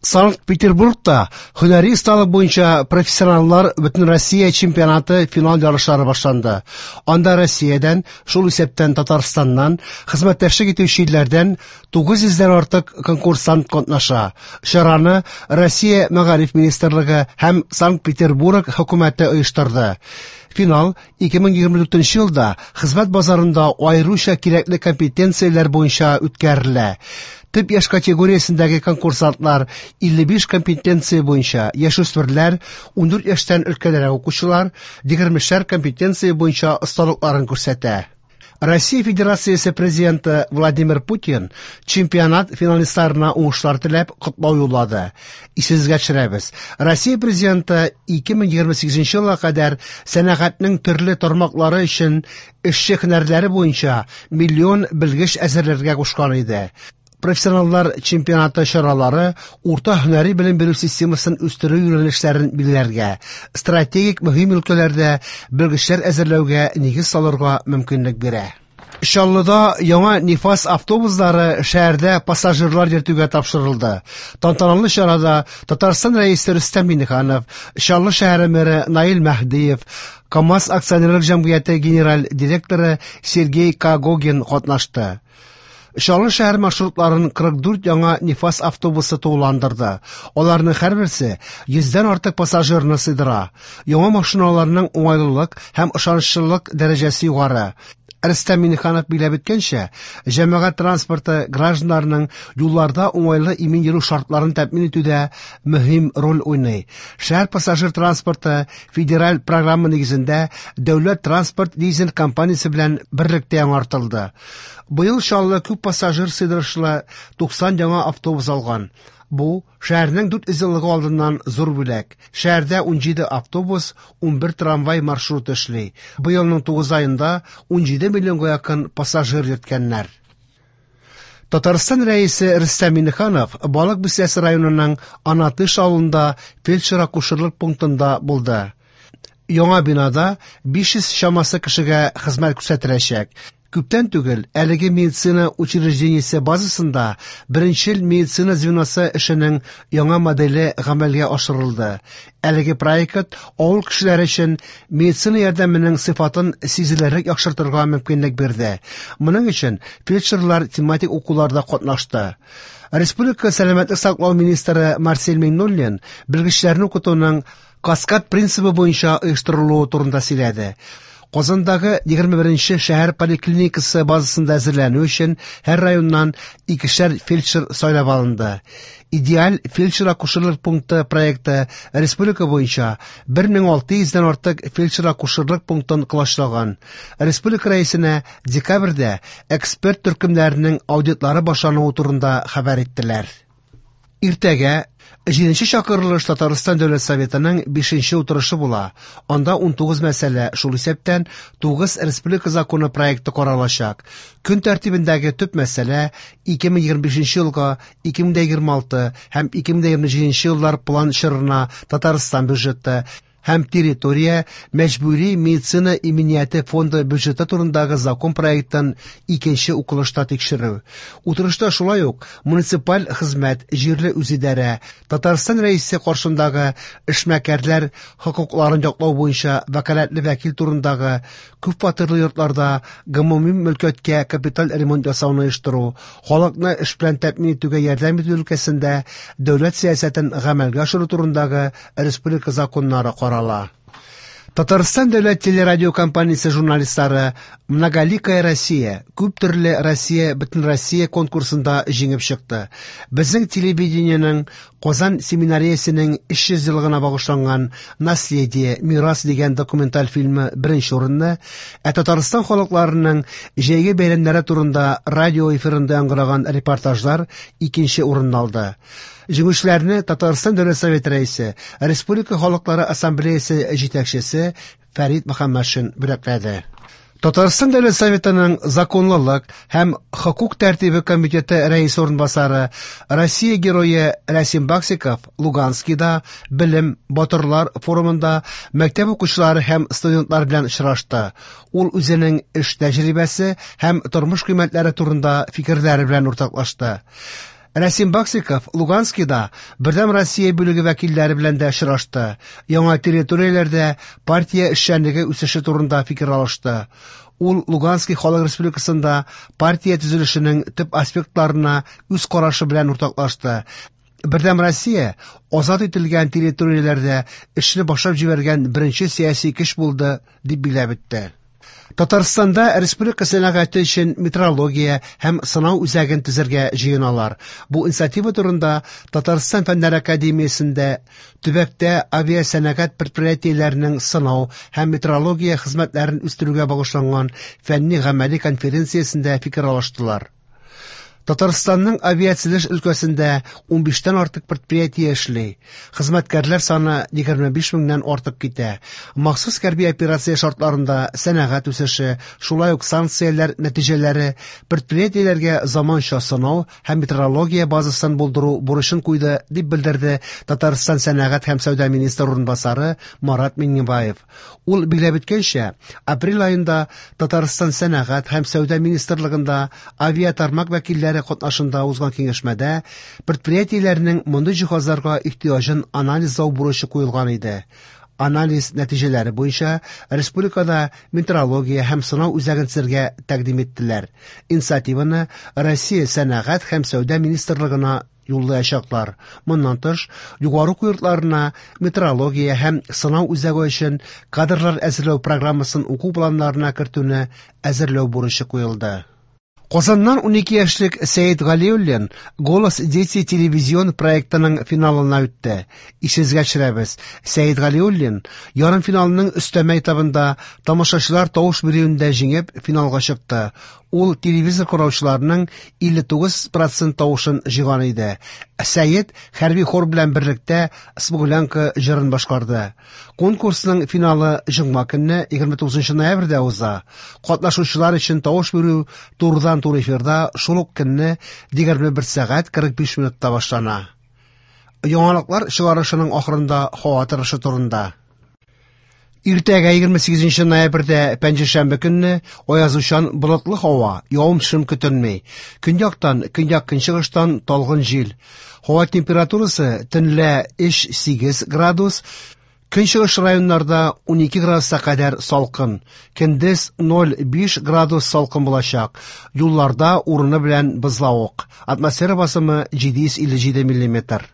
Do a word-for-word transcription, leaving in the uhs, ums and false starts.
Санкт-Петербургта һөнәри осталык буенча профессионаллар Бөтенроссия чемпионаты финал ярышлары башланды. Анда Россиядән, шул исәптән Татарстаннан, хезмәттәшлек итүче илләрдән тугыз йөздән артык конкурсант катнаша. Чараны Россия Мәгариф министрлыгы һәм Санкт-Петербург хөкүмәте оештырды. Финал ике мең егерме дүртенче елда хезмәт базарында аеруча кирәкле компетенцияләр буенча үткәрелә. Төп яшь категориясендәге конкурсантлар илле биш компетенция буенча, яшүсмерләр, ундүрт яшьтән өлкәнрәк укучылар егермешәр компетенция буенча осталыкларын күрсәтә. Россия Федерациясе президенты Владимир Путин чемпионат финалистларына уңышлар теләп котлау юллады. Исегезгә төшерәбез. Россия президенты ике мең егерме сигезенче елга кадәр сәнәгатьнең төрле тармаклары өчен эшче һөнәрләре буенча миллион белгеч әзерләргә кушкан иде. Профессионаллар чемпионаты чаралары урта һөнәри белем бирү системасын үстерү юнәлешләрен билгеләргә, стратегик мөһим өлкәләрдә белгечләр әзерләүгә нигез салырга мөмкинлек бирә. Чаллыда яңа Нифас автобуслары шәһәрдә пассажирлар йөртүгә тапшырылды. Тантаналы чарада Татарстан Рәисе Рөстәм Миңнеханов, Чаллы шәһәре мэры Наил Мәһдиев, КАМАЗ акционерлык җәмгыяте генераль директоры Сергей Когогин катнашты. Чаллы шәһәр маршрутларын кырык дүрт яңа Нифас автобусы тулыландырды. Аларның һәрберсе йөздән артык пассажирны сыйдыра. Яңа машиналарның уңайлылык һәм ышанычлылык дәрәҗәсе югары. Рөстәм Миңнеханов билгеләп үткәнчә, җәмәгать транспорты гражданнарның юлларда уңайлы имин йөрү шартларын тәэмин итүдә мөһим роль уйный. Шәһәр пассажир транспорты федераль программа нигезендә дәүләт транспорт лизинг компаниясе белән берлектә яңартылды. Быел Чаллы күп пассажир сыйдырышлы туксан яңа автобус алган. Бу шәһәрнең дүрт йөз еллыгы алдыннан зур бүләк. Шәһәрдә унҗиде автобус, унбер трамвай маршруты эшли. Быелның тугыз аенда унҗиде миллионга якын пассажир йөрткәннәр. Татарстан Рәисе Рөстәм Миңнеханов Балык Бистәсе районының Анатыш авылында фельдшер-акушерлык пунктында булды. Яңа бинада биш йөз чамасы кешегә хезмәт күрсәтеләчәк. Күптән түгел әлеге медицина учреждениесе базасында беренчел медицина звеносы эшенең яңа моделе гамәлгә ашырылды. Әлеге проект авыл кешеләре өчен медицина ярдәменең сыйфатын сизелерлек яхшыртырга мөмкинлек бирде. Моның өчен фельдшерлар тематик укуларда катнашты. Республика сәламәтлек саклау министры Марсель Миңнуллин белгечләрне укытуның каскад принцибы буенча оештырылуы турында сөйләде. Казандагы егерме беренче шәһәр поликлиникасы базасында әзерләнү өчен һәр районнан икешәр фельдшер сайлап алынды. Идеаль фельдшер-акушерлык пункты проекты республика буенча бер мең алты йөздән артык фельдшер-акушерлык пунктын колачлаган. Республика рәисенә декабрьдә эксперт төркемнәренең аудитлары башлануы турында хәбәр иттеләр. Иртәгә җиденче чакырылыш Татарстан Дәүләт Советының бишенче утырышы була. Анда унтугыз мәсьәлә, шул исәптән тугыз республика законы проекты каралачак. Көн тәртибендәге төп мәсьәлә ике мең егерме бишенче елга, ике мең егерме алты һәм ике мең егерме җиденче еллар план чорына Татарстан бюджеты һәм территория мәҗбүри медицина иминияте фонды бюджеты турындагы закон проектын икенче укылышта тикшерү. Утырышта шулай ук муниципаль хезмәт, җирле үзидарә, Татарстан Рәисе каршындагы эшмәкәрләр хокукларын яклау буенча вәкаләтле вәкил турындагы күпфатирлы йортларда гомуми мөлкәткә капиталь ремонт ясауны оештыру, халыкны эш белән тәэмин итүгә ярдәм итү өлкәсендә дәүләт сәясәтен гамәлгә ашыру турындагы республика законнары карала. Татарстан дәүләт телерадиокомпаниясе журналистлары Многоликая Россия, күп төрле Россия, бөтен Россия конкурсында җиңеп чыкты. Безнең телевидениенең Казан семинариясенең өч йөз еллыгына багышланган Наследие, мирас дигән документаль фильмы беренче урынны, ә Татарстан халыкларының җәйге бәйрәмнәре турында радио эфирында яңгыраган репортажлар икенче урынны алды. Җиңүчеләрне Татарстан Дәүләт Советы рәисе, Республика Халыклары Ассамблеясы җитәкчесе Фәрит Мөхәммәтшин бүләкләде. Татарстан Дәүләт Советының законлылык һәм хокук тәртибе комитеты рәисе урынбасары, Россия герое Рәсим Баксиков Луганскида Белем батырлар форумында мәктәп укучылары һәм студентлар белән очрашты. Ул үзенең эш тәҗрибәсе һәм тормыш кыйммәтләре турында фикерләре белән уртаклашты. Рәсим Баксиков Луганскида Бердәм Россия бүлеге вәкилләре белән дә очрашты. Яңа территорияләрдә партия эшчәнлеге үсеше турында фикер алышты. Ул Луганский халык республикасында партия төзелешенең төп аспектларына үз карашы белән уртаклашты. Бердәм Россия азат ителгән территорияләрдә эшне башлап җибәргән беренче сәяси көч булды, дип билгеләп үтте. Татарстанда республика сәнәгате өчен метрология һәм сынау үзәген төзергә җыеналар. Бу инициатива турында Татарстан Фәннәр академиясендә төбәктә авиасәнәгать предприятиеләренең сынау һәм метрология хезмәтләрен үстерүгә багышланган фәнни-гамәли конференциясендә фикер алыштылар. Татарстанның авиацелеш өлкәсендә унбиштән артык предприятие эшли. Хезмәткәрләр саны егерме биш меңнән артып китә. Махсус хәрби операция шартларында сәнәгать үсеше, шулай ук санкцияләр нәтиҗәләре предприятиеләргә заманча сынау һәм метрология базасын булдыру бурычын куйды, дип белдерде Татарстан сәнәгать һәм сәүдә министры урынбасары Марат Миңнебаев. Ул билгеләп үткәнчә, апрель аенда Татарстан сәнәгать һәм сәүдә министрлыгында авиатармак вәкилләре катнашында узган киңәшмәдә предприятиеләрнең мондый җиһазларга ихтыяҗын анализлау бурычы куелган иде. Анализ нәтиҗәләре буенча республикада метрология һәм сынау үзәген төзергә тәкъдим иттеләр. Инициативаны Россия сәнәгать һәм сәүдә министрлыгына юллаячаклар. Моннан тыш, югары уку йортларына метрология һәм сынау үзәге өчен кадрлар әзерләү программасын уку планнарына кертүне әзерләү бурычы куелды. Казаннан унике яшьлек Сәет Галиуллин «Голос дети» телевизион проектының финалына үтте. Исегезгә төшерәбез, Сәет Галиуллин ярымфиналның өстәмә этабында тамашачылар тавыш бирүендә җиңеп финалга чыкты. Ул телевизор караучыларның илле тугыз процент тавышын җыйган иде. Сәет хәрби хор белән берлектә «Смуглянка» җырын башкарды. Конкурсның финалы җомга көнне егерме тугызынчы ноябрьдә уза. Катнашучылар өчен тавыш бирү турыдан туры эфирда шул ук көнне егерме бер сәгать кырык биш минутта башлана. Яңалыклар чыгарышының ахырында һава торышы турында. Иртәгә егерме сигезенче ноябрьдә пәнҗешәмбе көнне аязучан болытлы һава, явым-төшем көтелми. Көньяктан, көньяк-көнчыгыштан талгын җил. Һава температурасы төнлә өч сигез градус, көнчыгыш районнарда унике градуска кадәр салкын. Көндез ноль биш градус салкын булачак. Юлларда урыны белән бозлавык. Атмосфера басымы җиде йөз илле җиде миллиметр.